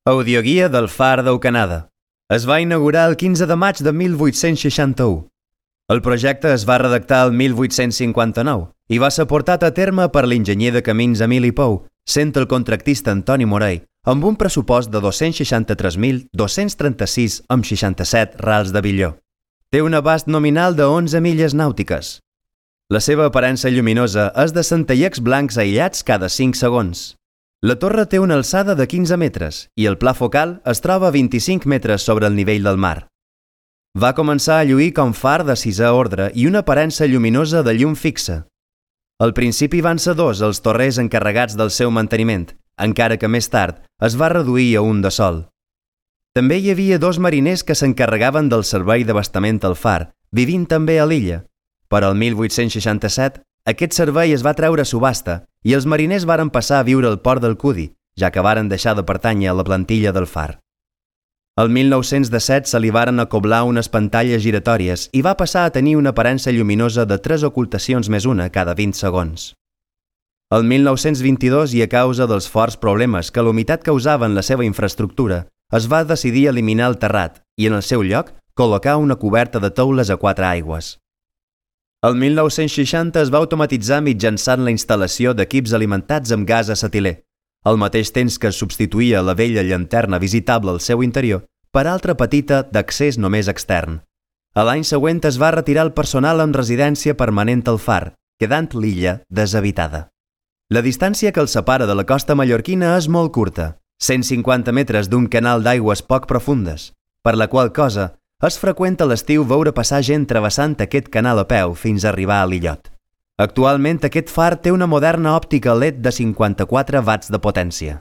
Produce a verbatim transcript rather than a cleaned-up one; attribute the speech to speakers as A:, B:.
A: Audioguia del Far d'Eucanada. Es va inaugurar el quinze de maig de mil vuit-cents seixanta-u. El projecte es va redactar el mil vuit-cents cinquanta-nou i va ser portat a terme per l'enginyer de camins Emili Pou, sent el contractista Antoni Morell, amb un pressupost de dos-cents seixanta-tres mil dos-cents trenta-sis coma seixanta-set rals de billó. Té un abast nominal de onze milles nàutiques. La seva aparença lluminosa és de centellets blancs aïllats cada cinc segons. La torre té una alçada de quinze metres i el pla focal es troba a vint-i-cinc metres sobre el nivell del mar. Va començar a lluir com far de sisè ordre i una aparença lluminosa de llum fixa. Al principi van ser dos els torrers encarregats del seu manteniment, encara que més tard es va reduir a un de sol. També hi havia dos mariners que s'encarregaven del servei d'abastament al far, vivint també a l'illa. Però el mil vuit-cents seixanta-set aquest servei es va treure a subhasta i els mariners varen passar a viure al port del Cudi, ja que varen deixar de pertànyer a la plantilla del far. El mil nou-cents disset se li varen acoblar unes pantalles giratòries i va passar a tenir una aparença lluminosa de tres ocultacions més una cada vint segons. El mil nou-cents vint-i-dos, i a causa dels forts problemes que l'humitat causava en la seva infraestructura, es va decidir eliminar el terrat i, en el seu lloc, col·locar una coberta de teules a quatre aigües. El mil nou-cents seixanta es va automatitzar mitjançant la instal·lació d'equips alimentats amb gas acetilè, al mateix temps que es substituïa la vella llanterna visitable al seu interior per altra petita d'accés només extern. A l'any següent es va retirar el personal amb residència permanent al far, quedant l'illa deshabitada. La distància que el separa de la costa mallorquina és molt curta, cent cinquanta metres d'un canal d'aigües poc profundes, per la qual cosa és freqüent a l'estiu veure passar gent travessant aquest canal a peu fins a arribar a l'illot. Actualment aquest far té una moderna òptica L E D de cinquanta-quatre watts de potència.